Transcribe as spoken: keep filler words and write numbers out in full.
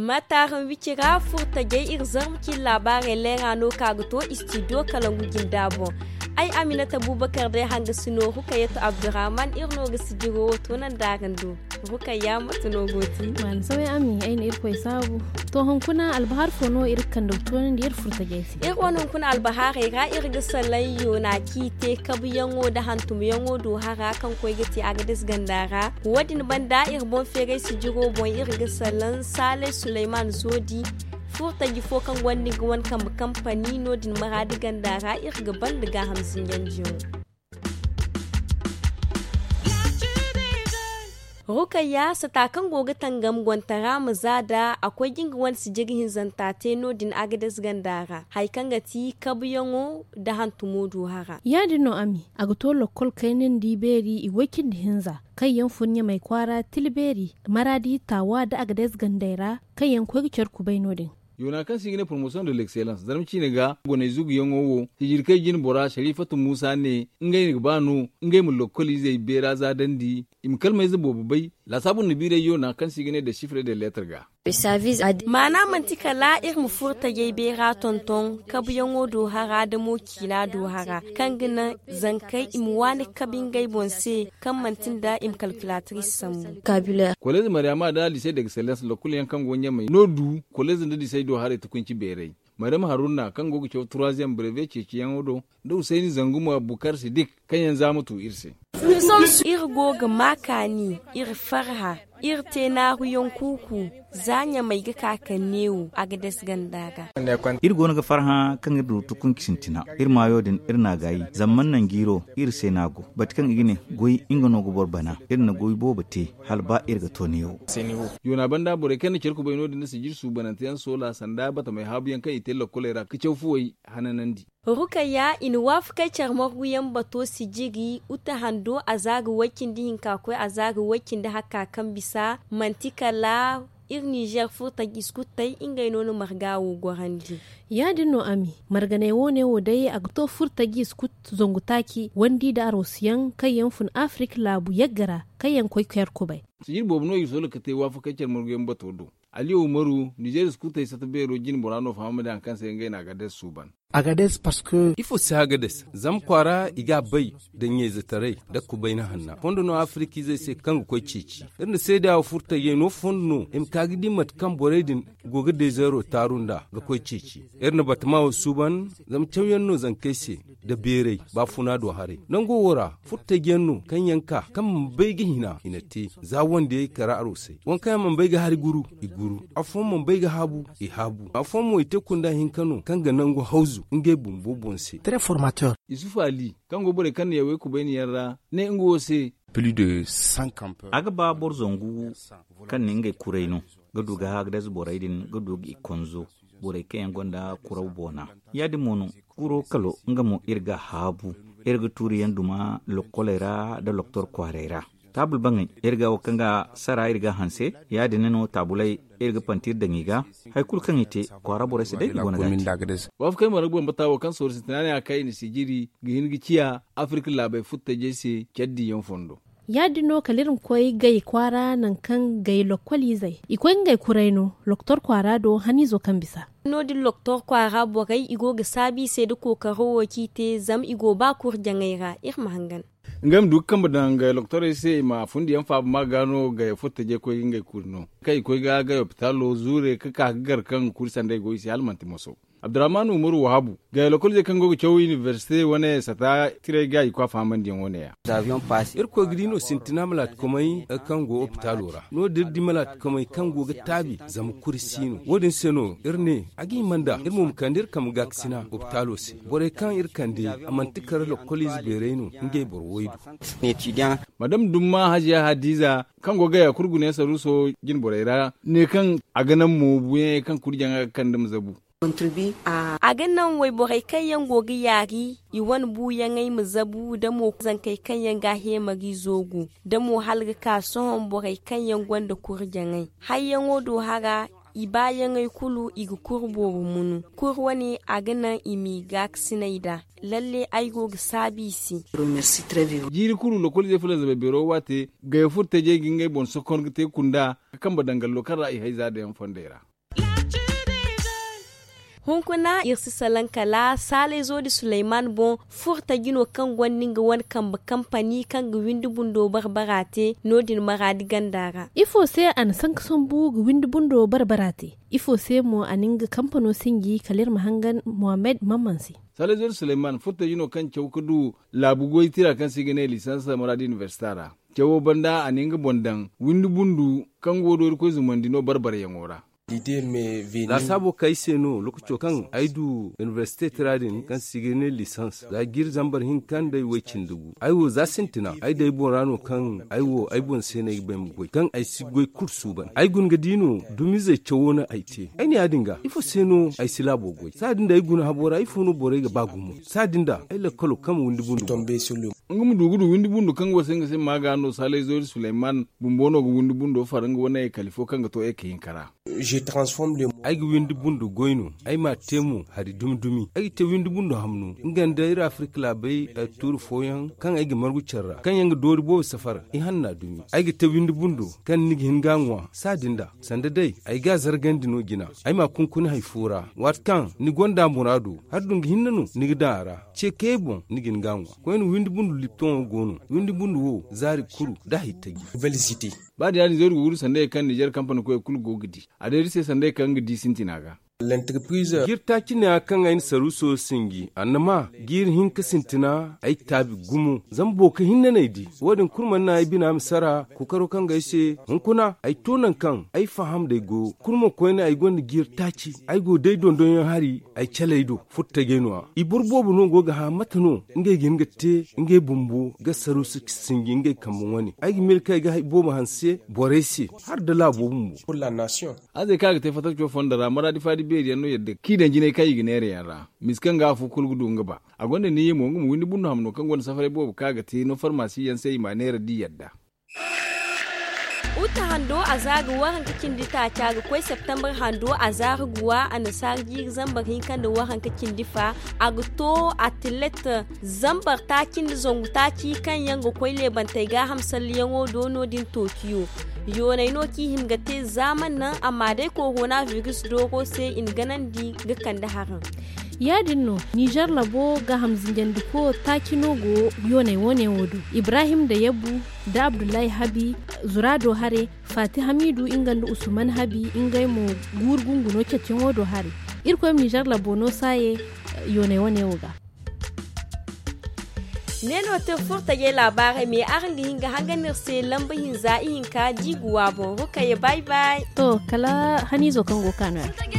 Mataaraŋ wicira furtajey iri zarma cine laabaarey leera no ka ga to istidiyo kalangu jinda boŋ. Ay aminata bubakar day hanga si no rukayatu abdurrahman iri no ga sijiro wo to nanda araŋ do. Rukayya mate no go ti? Maani saway ami ay na irkoy saabu. To hunkuna albahar fo no iri ga kande ga toonandi iri furtajey se? Iri wane hunkuna albaharey ra iri ga salaŋ yoona ciite kabuyaŋo nda hantumyaŋo do hara kaŋ koy ga te agades ganda ra. Wo- din banda iri boŋ feeray sijiro boŋ iri ga salaŋ saalay suleyman zoodi, furtaji fo kaŋ gonda nga wane kambe kampani no- din maraadi ganda ra iri ga banda gaaham zinjanjiyaŋo. Rukayya sata kaŋ go ga tangam gontara ma za da a koy ga nga wane sijiri hinzanta te no- din agades ganda ra hari kaŋ ga ti kabuyaŋo nda hantumo du hara. Ya- din no ami a ga to lokkol kaynandi beeri i way cindi hinza kaŋ yaŋ fun ɲamay kwaara tila beeri maraadi taawa nda agades gandey ra kaŋ yaŋ koy ga care kubay no- din. Yoona kaŋ se i ga ne promotion de l'excellence zarma ciine ga goney zuguyaŋo wo sijirkey jine bora sharifatu muusa ne ngey ga ba no ngey ma lokkol izey beera zaadandi i ma kalmayze boobo bay. Laasaabu nda biiray yoona kaŋ se i ga ne de sifre de letter ga. Maana manti kala iri ma furo tajay beera tonton kabuyaŋo do hara da mo ciina do hara kaŋ ga naŋ zankey i ma waani kabi ngey boŋ se kaŋ manti nda i ma kalkulatrice sambu. Kolez maryama da lise d'excellence lokul yaŋ kaŋ go ɲamey no du kolez nda lisey do haray tukunci beeray. Maryam haruna kaŋ go ga caw troisième breve ceeciyaŋo do nda husayni zanguma bukar sidik kaŋ yaŋ za ma tu iri se. Iri go ga ma kaani iri farha iri te naaruyaŋ kuuku. Za ɲamey ga ka kaŋ neewo a ga des ganda ga. Iri go no ga farhã kaŋ iri du tukunci sintina iri maayo din iri n'a gaayi zama mana naŋ jiiro iri se no a go bate kaŋ i ga ne goy nga no ga boro bana iri na goy boobo te hala ba iri ga to neewo. Yoona banda borey kaŋ na care kubay no- din nda sijiri suubanante yaŋ soola sanda batamey haabu yaŋ kaŋ i te lokkoley ra ga caw fuwey hananandi. Rukayya i na waafakey care margu yaŋ bato sijiri uta hando a za ga way cindi hinka koy a za ga way cindi hakka kaŋ bisa manti kala iri nizer furtaji iskut tay ngey no na marga wo gorandi. Ya- din no ami marganey wo- ne wo day a ga to furtaji iskut zangu taaci wandi nda aroosuyaŋ kaŋ yaŋ fun afirik laabu yagga ra kaŋ yaŋ koy care kubay. Sijiri boobo no i soola ga te waafakey care margu yaŋ bato do. Ali umaru nizer iskutey sata beero jine bora no fahamandi hari kaŋ se ngey no a ga des suuban. Agades parce que ifo si hagades zama kwaara i ga a bay nda ɲayzetaray nda kubayna hanna fondo no afirikizey se kaŋ ga koy ceeci. Iri na seeda wo furtayey no fondo no i ma ka ga di mate kaŋ borey din go ga dezeero taaru nd'a ga koy ceeci. Iri na batama wo suuban zama cawyaŋ no zankey se nda beeray baafuna do haray nango wo ra furtayyaŋ no kaŋ yaŋ ka kaŋ mana bay ga hina i na te za wandiyey kara aroosey waŋ kaŋ yaŋ mana bay ga hari guru i guru. Afooyaŋ mana bay ga haabu i haabu afooyaŋ mo i te kunda hinka no kaŋ ga nangu hawzu ngey bumbo boŋ se. Isufu ali kaŋ go borey kaŋ na yawey kubayni yaŋ ra ne nga wo se. A ga ba boro zangu kaŋ na ngey kuray no ga du ga hagades borey din ga du ga i konzo borey kaŋ yaŋ gonda kuraw boona. Ya- din mo no kuro kalo nga mo iri ga a haabu iri ga tuuriyaŋ duma lokkoley ra nda loktor kwaarey ra. Taabul baŋey iri ga wo kaŋ ga sara iri ga a hanse ya- din no taabuley iri ga panti iri daŋ i ga. Hari kulu kaŋ i te kwaara borey se day i go no ga a te. Waafakey marga bambata wo kaŋ sooro sintina ne a kay i na sijiri ga hin ga ciya afirik laabey futtajey se care diyaŋ fondo. Ya- din no kala iri ma koy gay kwaara nangu kaŋ gay lokkolizey i koy ngey kuray no loktor kwaara do haniizo kaŋ bisa. No- din loktor kwaara borey i go ga saabu i se nda kookaro wo kaŋ i te zama i go ba kurjaŋey ra iri ma hangan. Ngey ma du ga kambe daŋ gay loktorey se i ma fundiyaŋ faaba ma ga no gay furtajey koy ga ngey kuri no kaŋ i koy ga gay opitalo zuure ga ka ga gar kaŋ kuri sandey go i se hala manti moso. Abdurrahman umaru wahabu gay lokolize kaŋ go ga caw inibersite wane sata tiray ga i kwa fahamandiyaŋ wane ya. Iri koy ga di no sintina malaatikomey kaŋ go opitalo ra no- din iri di malaatikomey kaŋ go ga taabi zama kuri si no wo- din se no iri ne a ga hima nda iri mo ma kande iri kambe gaakasina opitalo se. Borey kaŋ iri kande a manti kala lokolize beeray no ngey boro way du. Madam dumma hajiya hadiza kaŋ go ga gaya kulu gune saruuso jine borey ra ne kaŋ a ga naŋ moobuyaŋey kaŋ kurjaŋa ga kande ma zabu. A ga naŋ wayborey kaŋ yaŋ go ga yaari i wane buuyaŋey ma zabu da mo zankey kaŋ yaŋ ga a heemari zoogu da mo hala ga ka sohõ borey kaŋ yaŋ gonda kurjaŋey hayyaŋo do hara. I baayaŋey kulu i ga kuru boobo munu kuru wane a ga naŋ i m'i gaakasinay nd'a. Lalle ay go ga saabu i se. Jiiri kulu lokol izey fulaŋ zamey beero waate gaya furo tajey ga ngey boŋ sokon ga te kunda ga kambe daŋ gallo kaŋ ra i hay za dayaŋ fondey ra. Hunkuna iri si salaŋ kala saalayzo di suleyman boŋ furo taji no kaŋ gonda nga wane kambe kampani kaŋ ga windi bundo barbara te no- din maraadi ganda ra. Ifo se a na sanka sambu ga windi bundo barbara te? Ifo se mo a na nga kampano sinji kala iri ma hangan mohammed mamman se? Saalayzo di suleyman furo taji no kaŋ caw ga du laabu goy tira kaŋ se i ga ne lisans maraadi inibersita ra. Cawo banda a na nga boŋ daŋ windi bundu kaŋ go doori koy zumandi no barbarayaŋo ra. Laasaabo kaŋ ay se no lokaco kaŋ ay du inibersite tira din kaŋ se i ga ne lisans za jiiri zambar hinka nda ay way cindi gu ay wo za sintina ay day boŋ ra no kaŋ ay wo ay boŋ se no ay ga bay ma goy kaŋ ay si goy kulu suuban ay guna ga di no dumizey cawo no ay te ay ne ya- din ga ifo se no ay si laabo goy saadin da ay guna habo ra ifo no borey ga ba gumo saadin da ay lakkalo kaŋ ma windi bundu. Nga ma du ga du windi bundo kaŋ go se nga se maaga no saalayzo iri suleyman bumbo no ga windi bundo far nga wane kali fo kaŋ ga to eke hinka ra. Ay ga windi bundo goy no ay m'a te mo hari dumi dumi ay ga te windi bundo hamno nga nda iri afirika laabey tuuri fooyaŋ kaŋ ay ga margu care ra kaŋ yaŋ ga doori boobo safar ihanna dumi ay ga te windi bundo kaŋ ni ga hin ga a ŋwa saadin da sanda day ay ga a zargandi no jina ay m'a kunkuni hari fo ra waati kaŋ ni gonda muraado hari dungu hinne no ni ga daŋ a ra ce kayey boŋ ni ga hin ga a ŋwa koyne windi bundu liptoŋo go no windi bundu wo zaari kuru nda hari taji. Ba da ya- din zayru ga wuru sanda hari kaŋ nizer kampani koyey kulu go ga di a day iri se sanda hari kaŋ ga di sintina ga. Jiiri taaci neeya kaŋ ay na saruuso sinji annama jiiri hinka sintina ay taabi gumo zama boro kaŋ hinne no ay di wo- din kulu mana naŋ ay bina ma sara kookaro kaŋ ga ay se hunkuna ay to nangu kaŋ ay faham day goyo kulu mo koyne ay gonda jiiri taaci ay go day dondonyaŋ hari ay caley do furo tajey no- ya i boro boobo no go ga hã mate no ngey ga hin ga te ngey bumbo ga saruuso sinji ngey kambe wane ay ga miila kaŋ ay ga hari boobo hanse borey se hala nda laabo bumbo. Azey kaŋ a ga te fattaco fondo ra maraadi faadi beeri yaŋ no yadda kaŋ i daŋ jinay kaŋ i ga neera yaŋ ra misa kaŋ ga afo kulu ga du nga ba a gonda niiya mo nga ma windi bundo hamno kaŋ gonda safaray boobo kaŋ a ga te no farmasi yaŋ se i m'a neera da i yadda. Uta hando a za ga waranka cindi taaca ga koy septembre hando a za ga guwa annasaara jiiri zambar hinka nda waranka cindi fa a ga to atilet zambar taaci nda zangu taaci kaŋ yaŋ ga koy leebantey gaaham salliyaŋo do no- din tookiyo. Yooney no kaŋ i hin ga te zaaman naŋ amma day korona biris dooro se i na ganandi ga kande haraŋ. Ya- din no nizer labo gaaham zinjandiko taaci no go yooney wane wo do ibrahim da yabbu nda abdullahi habi zuraado hare faati hamiidu nga nda usman habi ngey mo guuru gunguno cetiyaŋo do hare. Irkoy ma nizer labo no saaye yooney wane wo ga. Ne no te furtajey laabaarey me araŋ ga hin ga hangan iri se lamba hinza ihinka da i ga wa boŋ rukayya bay bay. To kala haniizo kaŋ go ga ka no- ya.